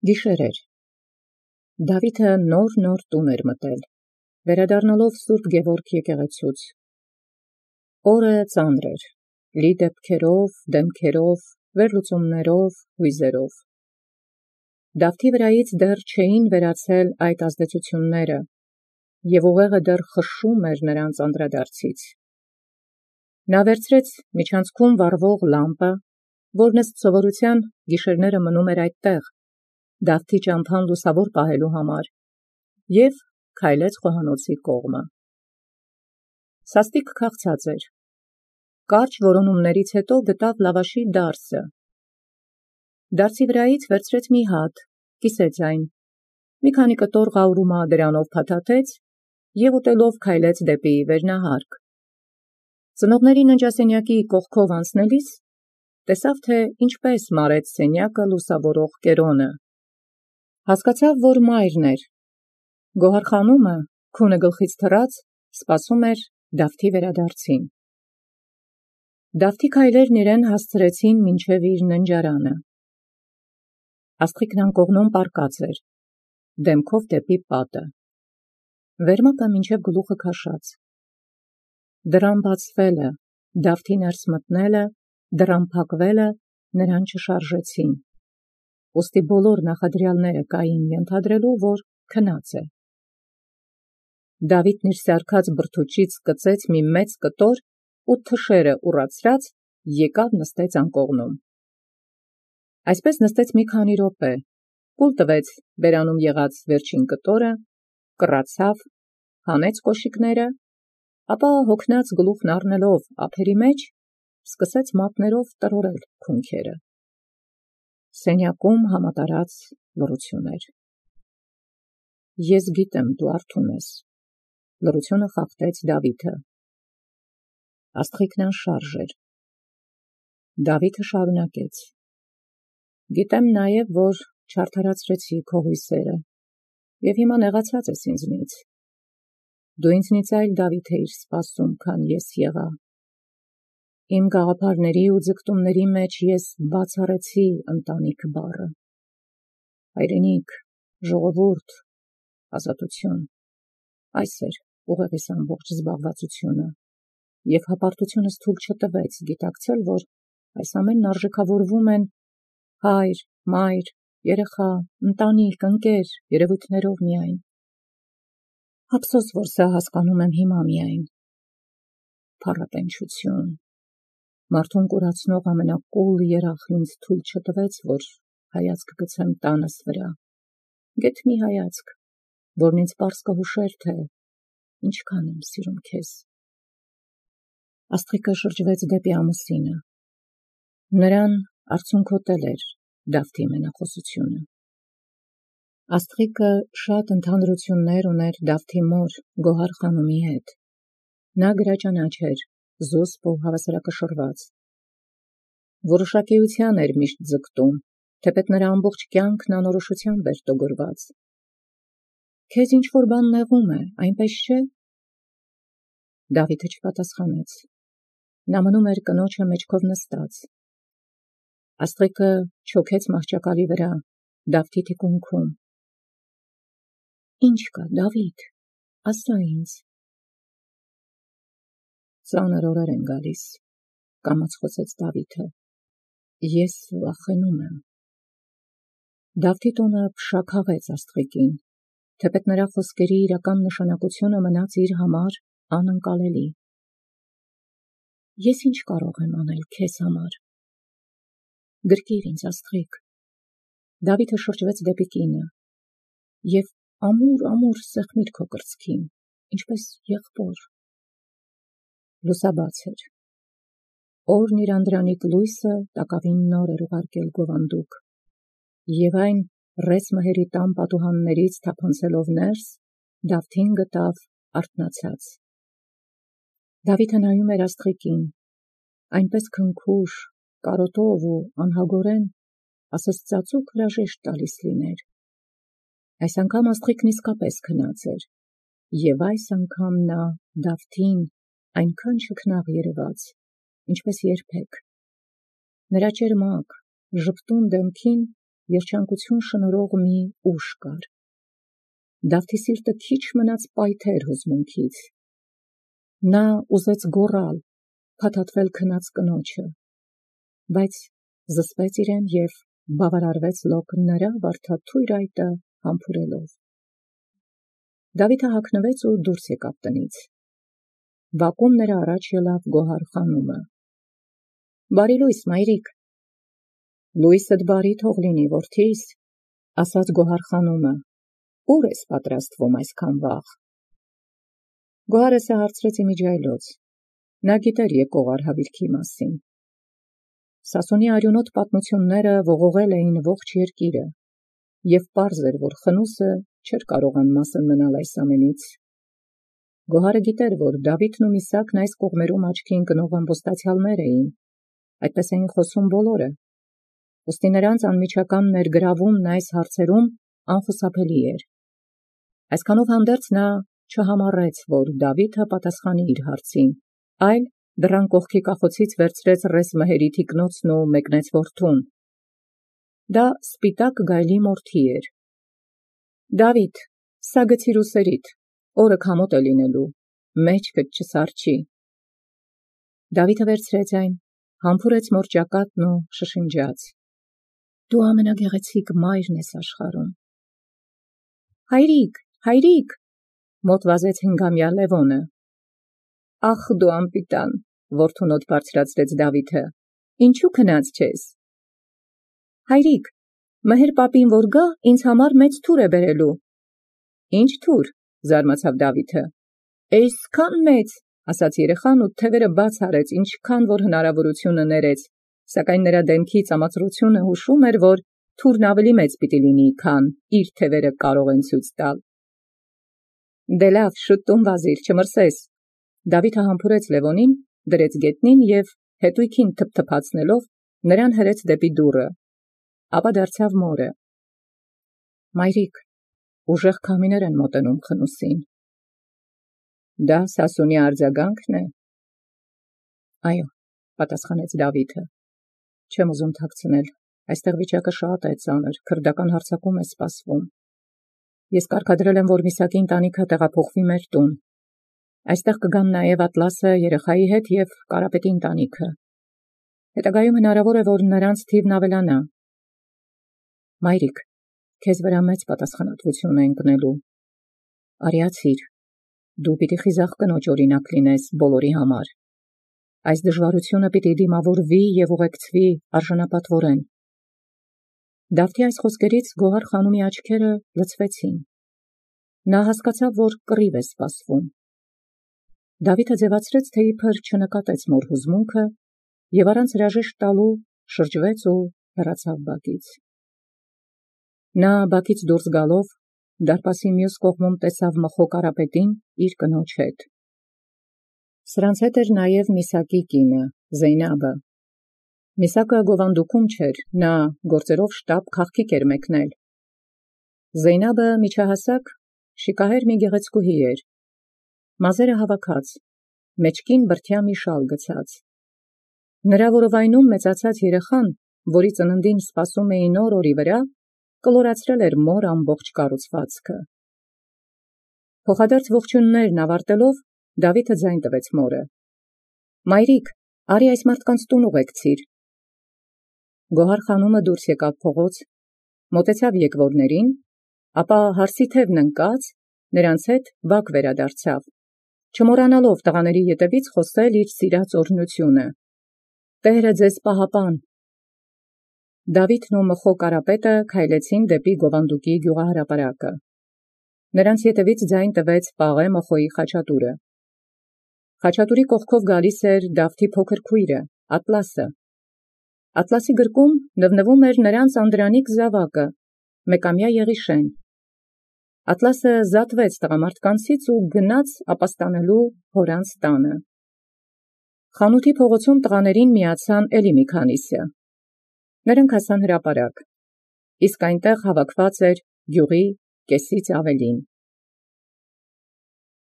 Գիշեր էր։ Դավիթը նոր տուն էր մտել, վերադառնալով Սուրբ Գևորգ եկեղեցուց։ Օրը ծանր էր, լի դեպքերով, դեմքերով, վերլուծումներով, հույզերով։ Դավթի վրայից դեռ չէին վերացել այդ ազդեցությունները, և ուղեղը դեռ խշշում էր նրանց անդրադարձից։ Նա վերցրեց միջանցքում վառվող լամպը, որն ըստ սովորության գիշերները մնում էր այդտեղ, Դավթի ճամփան լուսավոր պահելու համար, և քայլեց խոհանոցի կողմը։ Սաստիկ քաղցած էր։ Կարճ որոնումներից հետո գտավ լավաշի դարսը։ Դարսի վրայից վերցրեց մի հատ, կիսեց այն, մի քանի կտոր ղաուրումա դրանով փաթաթեց և ուտելով քայլեց դեպի վերնահարկ։ Ծնողների ննջասենյակի կողքով անցնելիս տեսավ, թե ինչպես մարեց սենյակը լուսավորող կերոնը։ Հասկացավ, որ մայրն էր։ Գոհարխանումը, քունը գլխից թռած, սպասում էր Դավթի վերադարձին։ Դավթի քայլերն իրեն հասցրեցին մինչև իր ննջարանը։ Աստղիկն անկողնում պառկած էր, դեմքով դեպի պատը, վերմակը մինչև գլուխը քաշած։ Դռան բացվելը, Դավթի ներս մտնելը, դռան փակվելը նրան չշարժեցին, ուստի բոլոր նախադրյալները կային ենթադրելու, որ քնած է։ Դավիթն իր սարքած բրդուճից սկծեց մի մեծ կտոր ու թշերը ուռացրած եկավ նստեց անկողնում։ Այսպես նստեց մի քանի րոպե, կուլ տվեց բերանում եղած վերջին կտորը, կռացավ, հանեց կոշիկները, ապա հոգնած գլուխն առնելով ափերի մեջ, սկսեց մատներով տրորել քունքերը։ Սենյակում համատարած լռություն էր։ Ես գիտեմ, դու արթուն ես, լռությունը խախտեց Դավիթը։ Աստղիկն անշարժ էր։ Դավիթը շարունակեց. Գիտեմ նաև, որ չարդարացրեցի քո հույսերը, և հիմա նեղացած ես ինձնից։ Դու ինձնից այլ Դավիթ էիր սպասում, քան ես եղա։ Իմ գաղափարների ու ձգտումների մեջ ես բացառեցի ընտանիք բառը։ Հայրենիք, ժողովուրդ, ազատություն, այս էր ուղեղիս ամբողջ զբաղվածությունը, և հպարտությունս թույլ չտվեց գիտակցել, որ այս ամենն արժեքավորվում են հայր, մայր, երեխա, ընտանիք, ընկեր, երևույթներով միայն։ Ափսոս, որ սա հասկանում եմ հիմա միայն։ Փառատենչություն։ Մարդուն կուրացնող ամենակուլ երախն ինձ թույլ չտվեց, որ հայացք գցեմ տանս վրա, գեթ մի հայացք, որն ինձ պարզ կհուշեր, թե ինչքան եմ սիրում քեզ։ Աստղիկը շրջվեց դեպի ամուսինը։ Նրան արցունքոտել էր Դավթի մենախոսությունը։ Աստղիկը շատ ընդհանրություններ ուներ Դավթի մոր Գոհար-խանումի հետ։ Նա գրաճանաչ էր, զուսպ ու հավասարակշռված։ Որոշակիության էր միշտ ձգտում, թեպետ նրա ամբողջ կյանքն անորոշությամբ էր տոգորված։ Քեզ ինչ-որ բան նեղում է, այնպես չէ՞։ Դավիթը չպատասխանեց։ Նա մնում էր կնոջը մեջքով նստած։ Աստղիկը չոքեց մահճակալի վրա, Դավթի թիկունքում։ Ինչ կա, Դավիթ, ասա ինձ։ Ծանր օրեր են գալիս, կամաց խոսեց Դավիթը։ Ես վախենում եմ։ Դավթի տոնը փշաքաղեց աստղիկին, թեպետ նրա խոսքերի իրական նշանակությունը մնաց իր համար անընկալելի։ Ես ինչ կարող եմ անել քեզ համար։ Գրկիր ինձ, աստղիկ։ Դավիթը շրջվեց դեպի կինը, և ամուր սեղմիր քո կրծքին, ինչպես եղբոր։ Լուսաբաց էր։ Օրն իր անդրանիկ լույսը տակավին նոր էր ուղարկել գովանդուկ, և այն ռեզմահերի տան պատուհաններից թափանցելով ներս, Դավթին գտավ արթնացած։ Դավիթը նայում էր աստղիկին, այնպես քնքուշ, կարոտով ու անհագորեն, ասես ծածուկ հրաժեշտ տալիս լիներ։ Այս անգամ աստղիկն իսկապես քնած էր, և այս անգամ նա Դավթին այնքան չքնաղ երևաց, ինչպես երբեք։ Նրա ճերմակ, ժպտուն դեմքին երջանկություն շնորհող մի ուժ կար։ Դավթի սիրտը քիչ մնաց պայթեր հուզմունքից։ Նա ուզեց գոռալ, փաթաթվել քնած կնոջը, բայց զսպեց իրեն և բավարարվեց լոկ նրա վարդաթույր այտը համբուրելով։ Դավիթը հագնվեց ու դուրս եկավ տնից։ Բակում նրա առաջ ելավ Գոհար խանումը։ «Բարի լույս, մայրիկ»։ «Լույսդ բարի թող լինի, որդիս», ասաց Գոհար խանումը։ «Ուր ես պատրաստվում այսքան վաղ»։ Գոհարը հարցրեց իմիջիայլոց։ Նա գիտեր եկող արհավիրքի մասին։ Սասունի արյունոտ պատմությունները ողողել էին ողջ երկիրը, և պարզ էր, որ խնուսը չէր կարող անմասն մնալ այս ամենից։ Գոհարը գիտեր, որ Դավիթն ու Միսակն այս կողմերում աչքի ընկնող ամբոստացյալներ էին, այդպես էին խոսում բոլորը, ուստի նրանց անմիջական ներգրավումն այս հարցերում անխուսափելի էր։ Այսքանով հանդերձ նա չհամառեց, որ Դավիթը պատասխանի իր հարցին, այլ դռան կողքի կախոցից վերցրեց ռես մհերի թիկնոցն ու մեկնեց որդուն։ Դա սպիտակ գայլի մորթի էր։ «Դավիթ, սա գցիր ուսերիդ, օրը քամոտ է լինելու, մեջքդ չսառչի»։ Դավիթը վերցրեց այն, համբուրեց մորճակատն ու շշնջաց. «Դու ամենագեղեցիկ մայրն ես աշխարհում»։ «Հայրիկ, հայրիկ», մոտ վազեց 5-ամյա Լևոնը։ «Ախ դու անպիտան», որդուն օդ բարձրացրեց Դավիթը, «ինչու քնած չես»։ «Հայրիկ, մհեր պապին որ գա, ինձ համար մեծ թուր է բերելու»։ «Ինչ թուր», զարմացավ Դավիթը։ «Էյսքան մեծ», ասաց երեխան ու թևերը բաց արեց, ինչքան որ հնարավորությունը ներեց, սակայն նրա դեմքի ծամածրությունը հուշում էր, որ թուրն ավելի մեծ պիտի լինի, քան իր թևերը կարող են ցույց տալ։ «Դե լավ, շուտ տուն վազիր, չմրսես»։ Դավիթը համբուրեց Լևոնին, դրեց գետնին և հետույքին թփթփացնելով նրան հրեց դեպի դուռը, ապա դարձավ մորը. «Մայրիկ, ուժեղ քամիներ են մոտենում խնուսին»։ «Դա Սասունի արձագանքն է»։ «Այո», պատասխանեց Դավիթը, «չեմ ուզում թաքցնել, այստեղ վիճակը շատ է ծանր, քրդական հարձակում է սպասվում։ Ես կարգադրել եմ, որ Միսակի ընտանիքը տեղափոխվի մեր տուն։ Այստեղ կգան նաև Ատլասը երեխայի հետ և Կարապետի ընտանիքը։ Հետագայում հնարավոր է, որ նրանց թիվն ավելանա։ Մայրիկ, քեզ վրա մեծ պատասխանատվություն է ընկնելու։ Արիացիր, դու պիտի խիզախ կնոջ օրինակ լինես բոլորի համար։ Այս դժվարությունը պիտի դիմավորվի և ուղեկցվի արժանապատվորեն։ Դավթի այս խոսքերից Գոհար խանումի աչքերը լցվեցին։ Նա հասկացավ, որ կռիվ է սպասվում։ Դավիթը ձևացրեց, թե իբր չնկատեց մոր հուզմունքը և առանց հրաժեշտ տալու շրջվեց ու հեռացավ բակից։ Նա բակից դուրս գալով դարպասի մյուս կողմում տեսավ մխո Կարապետին իր կնոջ հետ։ Սրանց հետ էր նաև Միսակի կինը, Զեյնաբը։ Միսակը գովանդուկում չէր, նա գործերով շտապ քաղքիկ էր մեկնել։ Զեյնաբը միջահասակ, շիկահեր մի գեղեցկուհի էր, մազերը հավաքած, մեջքին բրդյա մի շալ գցած։ Նրա որովայնում մեծացած երեխան, որի ծննդին սպասում էին օր-օրի վրա, կլորացրել էր մոր ամբողջ կառուցվածքը։ Փոխադարձ ողջույններն ավարտելով, Դավիթը ձայն տվեց մորը. «Մայրիկ, արի այս մարդկանց տուն ուղեկցիր»։ Գոհար խանումը դուրս եկավ փողոց, մոտեցավ եկվորներին, ապա հարսի թևն ընկած, նրանց հետ բակ վերադարձավ, չմոռանալով տղաների ետևից խոսել իր սիրած օրհնությունը. «Տերը ձեզ պահապան»։ Դավիթն ու մխո Կարապետը քայլեցին դեպի գովանդուկի գյուղահրապարակը։ Նրանց ետևից ձայն տվեց Պաղե մխոյի խաչատուրը։ Խաչատուրի կողքով գալիս էր Դավթի փոքր քույրը, Ատլասը։ Ատլասի գրկում նվնվում էր նրանց անդրանիկ զավակը, մեկամյա Եղիշեն։ Ատլասը զատվեց տղամարդկանցից ու գնաց ապաստանելու հորանց տանը։ Խանութի փողոցում տղաներին միացան էլի մի քանիսը։ Նրանք հասան հրապարակ, իսկ այնտեղ հավաքված էր գյուղի կեսից ավելին։